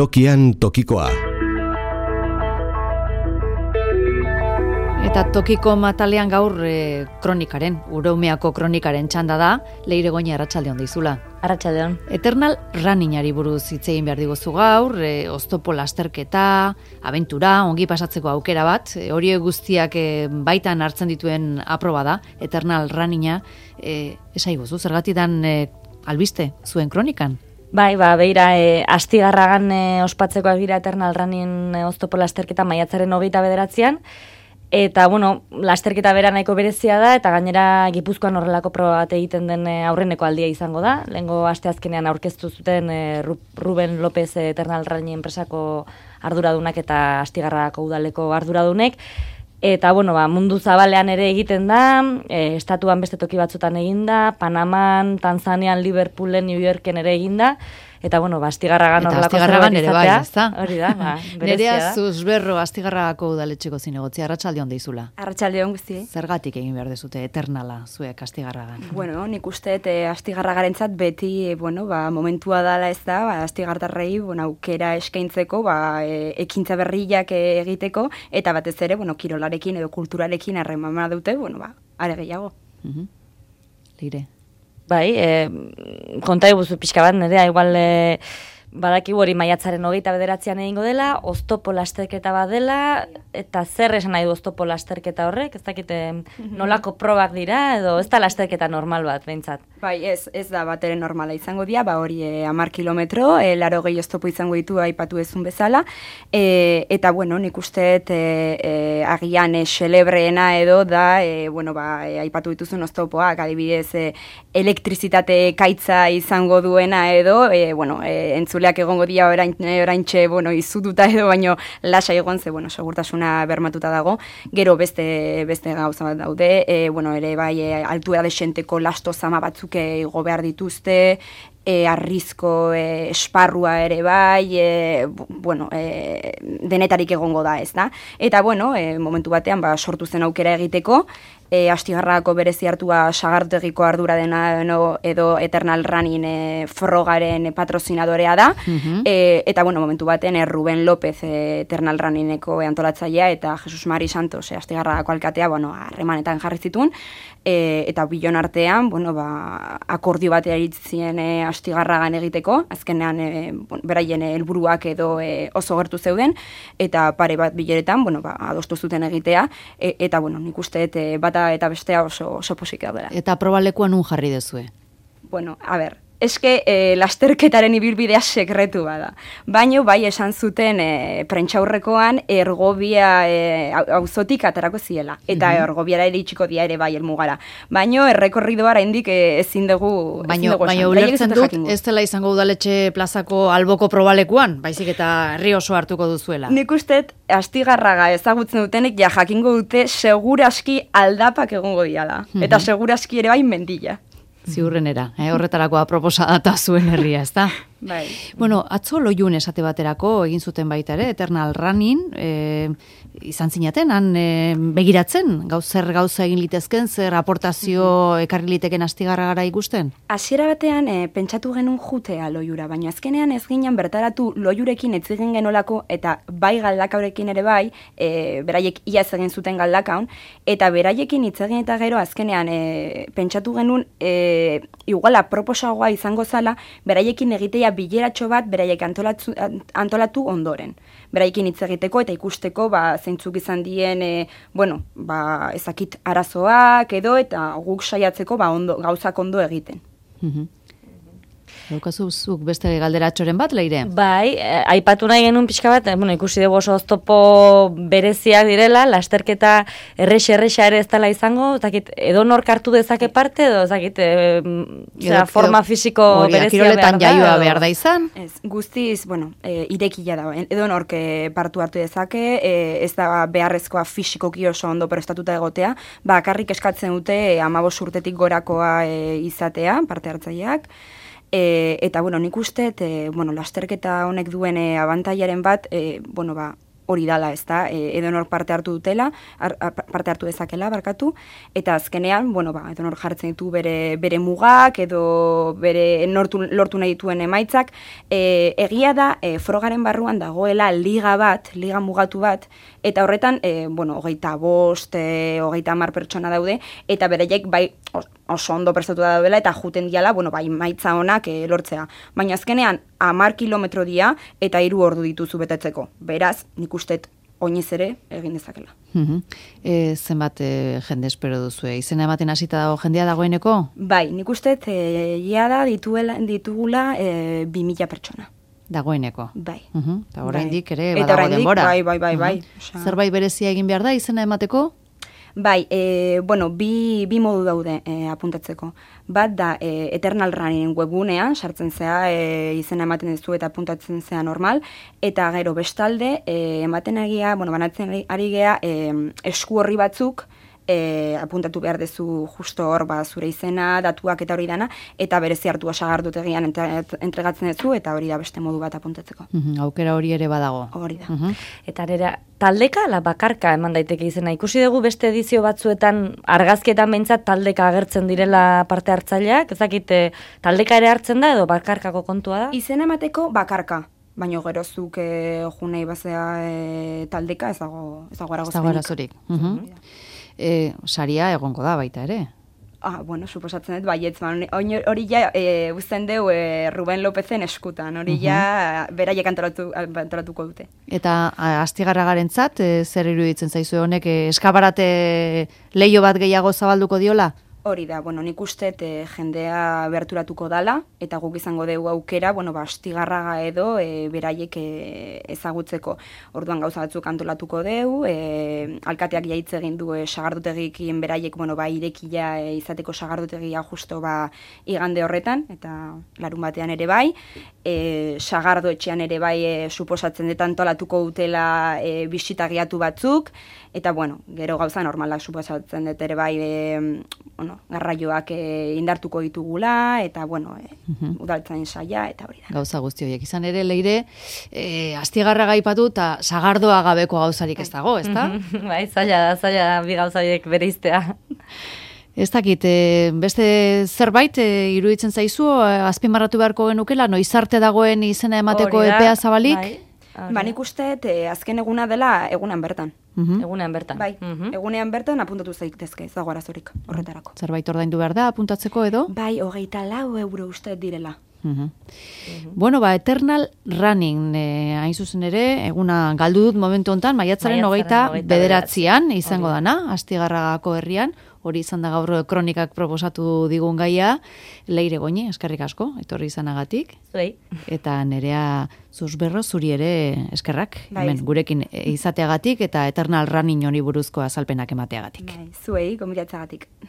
Tokian tokikoa. Eta tokiko matalean gaur kronikaren, Ureumeako kronikaren txanda da, Leire Goñi arratsaldeon dizula. Arratsaldeon. Eternal Runningari buruz hitz egin behar diguzu gaur, oztopo lasterketa, abentura, ongi pasatzeko aukera bat, hori guztiak baitan hartzen dituen aproba da, Eternal Runninga, esaiguzu, zergatidan albiste zuen kronikan? Bai, beira, Astigarragan ospatzekoak dira Eternal Running oztopo lasterketa maiatzaren 29an, eta, lasterketa bera nahiko berezia da, eta gainera Gipuzkoan horrelako proba bat egiten den aurreneko aldia izango da. Lehengo asteazkenean aurkeztu zuten Ruben López Eternal Running enpresako arduradunak eta Astigarragako udaleko arduradunek. Eta, mundu zabalean ere egiten da, estatuan beste toki batzutan egin da, Panaman, Tanzanian, Liverpoolen, New Yorken ere egin da. Eta, Astigarragan horrelako zerbait izatea. Bai, ezta? Hori da, berezia da. Nerea Zuzberro Astigarragako udaletxeko zinegotzia, arratsaldeon deizula. Arratsaldeon guztiei. Zergatik egin behar dezute Eternala zuek Astigarragan? Nik uste Astigarragarentzat beti, momentua dala ez da, Astigartarrei, aukera eskaintzeko, ekintza berriak egiteko, eta batez ere, kirolarekin edo kulturarekin harremana dute, are gehiago. Leire. Bai, konta eguzu pixka bat, nerea, igual badakigu hori maiatzaren 29an egingo dela, oztopo lasterketa bat dela, eta zer esan nahi du oztopo lasterketa horrek, ez dakite nolako probak dira, edo ez da lasterketa normal bat, behintzat. Bai, ez da bat ere normala izango dira, hori 10 kilometro, 80 oztopo izango ditu aipatu ezun bezala, eta, nik uste agian xelebreena edo da, aipatu dituzun oztopoak, adibidez, elektrizitate kaitza izango duena edo, entzuleak egongo dira oraintxe, izututa edo, baino lasa egon ze, segurtasuna bermatuta dago. Gero beste gauza bat daude, ere bai, altura desenteko lasto zama batzuk igo behar dituzte, arrizko esparrua ere bai, denetarik egongo da, ez da. Eta, momentu batean, sortu zen aukera egiteko, Astigarragako berezi hartua sagartegiko ardura dena edo Eternal Running frogaren patrozinadorea da, eta, momentu baten Ruben López Eternal Runningeko antolatzailea eta Jesus Mari Santos Astigarragako alkatea, harremanetan jarri zituen, eta bilon artean, akordio batea iritzien Astigarragan egiteko, azkenean beraien helburuak edo oso gertu zeuden, eta pare bat bileretan, adostu zuten egitea, eta, nik uste bata eta bestea oso posik daudela. Eta probalekuan nun jarri dezue? Eske lasterketaren ibilbidea sekretu bada. Baino bai esan zuten prentsaurrekoan Ergobia auzotik aterako ziela. Eta Ergobiara ere itxiko dia ere bai helmugara. Baino errekorridoa oraindik ezin dugu Baino ulertzen dut ez dela izango udaletxe plazako alboko probalekuan, baizik eta herri oso hartuko duzuela. Nik uste Astigarraga ezagutzen dutenek jakingo dute seguraski aldapak egongo diala. Eta seguraski ere bai mendila. Ziurrenera, horretarako aproposa data zuen herria, ez da? Bai. Atzo Loiun esate baterako egin zuten baita ere, Eternal Running, izan zinaten, han begiratzen, zer gauza egin litezken, zer aportazio ekarri liteken Astigarragara ikusten? Hasiera batean pentsatu genuen jutea Loiura, baina azkenean ez ginen bertaratu Loiurekin ez egin genolako, eta bai galdakaurekin ere bai, beraiek iaz egin zuten galdakaun, eta beraiekin hitz egin eta gero azkenean pentsatu genuen igual aproposagoa izango zala, beraiekin egitea bileratxo bat beraiek antolatu ondoren. Beraiekin hitz egiteko eta ikusteko zeintzuk izan dien, ezakit arazoak edo, eta guk saiatzeko gauzak ondo egiten. Daukazuzuk beste galderatxoren bat, Leire? Bai, aipatu nahi genuen pixka bat, ikusi dugu oso oztopo bereziak direla, lasterketa errexa ere ez dela izango, edo nork hartu dezake parte, edo forma fisiko berezia kiroletan jaioa behar da izan? Ez, guztiz, irekila da, edo nork partu hartu dezake, ez da beharrezkoa fisikoki oso ondo prestatuta egotea, bakarrik eskatzen dute 15 urtetik gorakoa izatea, parte hartzaileak, eta, nik uste, lasterketa honek duen abantailaren bat, hori dala, ez da, edonor parte hartu dezakela, barkatu, eta azkenean, bueno, edonor jartzen ditu bere mugak, edo bere lortu nahi dituen emaitzak, egia da, frogaren barruan dagoela liga mugatu bat, eta horretan, 25, 30 pertsona daude, eta bereiek bai oso ondo prestatu da daudela, eta juten diala, maitza honak lortzea. Baina azkenean, 10 kilometro dia, eta 3 ordu dituzu betetzeko. Beraz, nik uste oinez ere egin dezakela. Zenbat jende espero duzue? Izena ematen hasita dago jendea dagoeneko? Bai, nik uste da ditugula 2000 pertsona. Dagoeneko? Bai. Eta oraindik ere badago denbora. Bai. Zerbait berezia egin behar da izena emateko? Bai, bi modu daude apuntatzeko. Bat da, Eternal Running webgunean, sartzen zea, izena ematen duzu eta apuntatzen zea normal, eta gero bestalde, ematen egia, banatzen ari gea, esku horri batzuk, apuntatu behar dezu justo hor, zure izena, datuak eta hori dana, eta berezi hartua sagardotegian entregatzen duzu, eta hori da beste modu bat apuntatzeko. Aukera hori ere badago. Hori da. Eta nera, taldeka ala bakarka eman daiteke izena. Ikusi dugu beste edizio batzuetan, argazkietan behintzat taldeka agertzen direla parte hartzaileak, ezakit taldeka ere hartzen da edo bakarkako kontua da? Izena emateko bakarka. Baina gerozuk junei bazea taldeka ez dago arazorik. Saria egongo da baita ere. Suposatzen dut, baietz, hori ja uzten deu Ruben Lopezen eskutan, hori ja beraiek antolatuko dute. Eta Astigarragarentzat, zer iruditzen zaizu honek, eskabarate leio bat gehiago zabalduko diola? Hori da, nik uste jendea berturatuko dala, eta guk izango dugu aukera, Astigarraga edo beraiek ezagutzeko. Orduan gauza batzuk antolatuko dugu, alkateak jaitze egin du sagardotegikien beraiek, irekia izateko sagardotegia justo igande horretan, eta larun batean ere bai, sagardo etxean ere bai suposatzen dut antolatuko dutela bisitagiatu batzuk, eta gero gauza normalak suposatzen dut ere bai garraioak indartuko ditugula, eta udaltzain saia, eta hori da. Gauza guzti horiek. Izan ere, Leire, Astigarraga aipatu eta sagardoa gabeko gauzarik ez dago, ez da? Bai, zaila bi gauza horiek bereiztea. Ez dakit, beste zerbait iruditzen zaizu, azpimarratu beharko genukela, noiz arte dagoen izena emateko epea zabalik? Nik uste, azken eguna dela egunan bertan. Egunean bertan. Bai, egunean bertan apuntatu zaitezke, ez dago arazorik horretarako. Zerbait ordaindu behar da apuntatzeko edo? Bai, 24 euro uste direla. Eternal Running, hain zuzen ere, eguna galdu dut momentu hontan, maiatzaren 29an izango dana, Astigarragako herrian, hori izan da gaur kronikak proposatu digun gaia, Leire Goñi, eskerrik asko, etorri izanagatik. Zuei. Eta Nerea Zuzberro, zuri ere eskerrak, hemen gurekin izateagatik, eta Eternal Running hori buruzko azalpenak emateagatik. Zuei, gombiratzagatik.